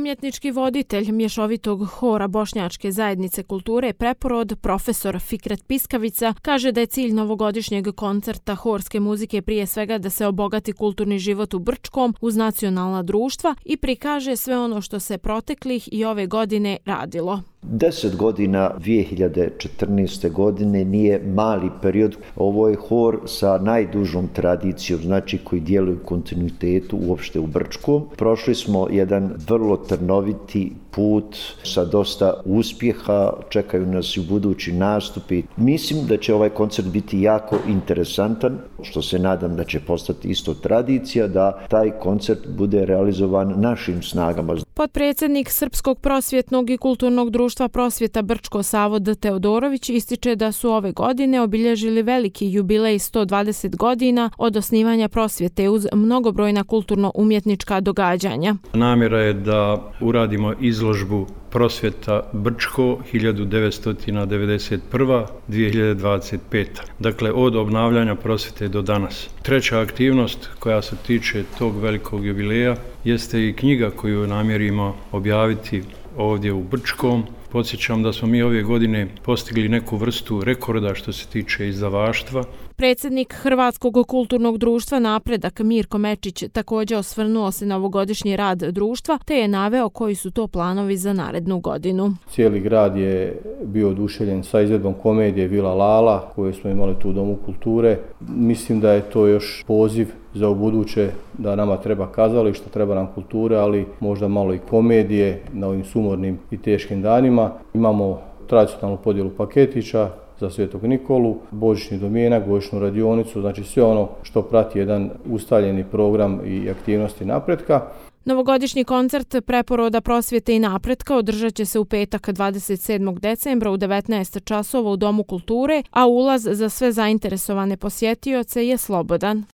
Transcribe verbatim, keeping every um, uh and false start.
Umjetnički voditelj mješovitog hora Bošnjačke zajednice kulture Preporod, profesor Fikret Piskavica, kaže da je cilj novogodišnjeg koncerta horske muzike prije svega da se obogati kulturni život u Brčkom uz nacionalna društva i prikaže sve ono što se proteklih i ove godine radilo. Deset godina dvije hiljade četrnaeste. godine nije mali period. Ovo je hor sa najdužom tradicijom, znači koji djeluje u kontinuitetu uopšte u Brčkom. Prošli smo jedan vrlo trnoviti put sa dosta uspjeha, čekaju nas i u budući nastupi. Mislim da će ovaj koncert biti jako interesantan, što se nadam da će postati isto tradicija, da taj koncert bude realizovan našim snagama. Potpredsjednik Srpskog prosvjetnog i kulturnog društva Prosvjeta Brčko Savod Teodorović ističe da su ove godine obilježili veliki jubilej sto dvadeset godina od osnivanja prosvjete uz mnogobrojna kulturno-umjetnička događanja. Namjera je da uradimo izložbu Prosvjeta Brčko hiljadu devetsto devedeset prva do dvije hiljade dvadeset peta. Dakle, od obnavljanja prosvjete do danas. Treća aktivnost koja se tiče tog velikog jubileja jeste i knjiga koju namjerimo objaviti ovdje u Brčkom. Podsjećam da smo mi ove godine postigli neku vrstu rekorda što se tiče izdavaštva. Predsjednik Hrvatskog kulturnog društva Napredak Mirko Mečić također osvrnuo se na ovogodišnji rad društva te je naveo koji su to planovi za narednu godinu. Cijeli grad je bio oduševljen sa izvedbom komedije Vila Lala koju smo imali tu u Domu kulture. Mislim da je to još poziv za ubuduće da nama treba kazalište, treba nam kultura, ali možda malo i komedije na ovim sumornim i teškim danima. Imamo tradicionalnu podjelu paketića za Svetog Nikolu, božićni domjenak, božićnu radionicu, znači sve ono što prati jedan ustaljeni program i aktivnosti napretka. Novogodišnji koncert Preporoda prosvjete i napretka održat će se u petak dvadeset sedmog decembra u devetnaest časova u Domu kulture, a ulaz za sve zainteresovane posjetioce je slobodan.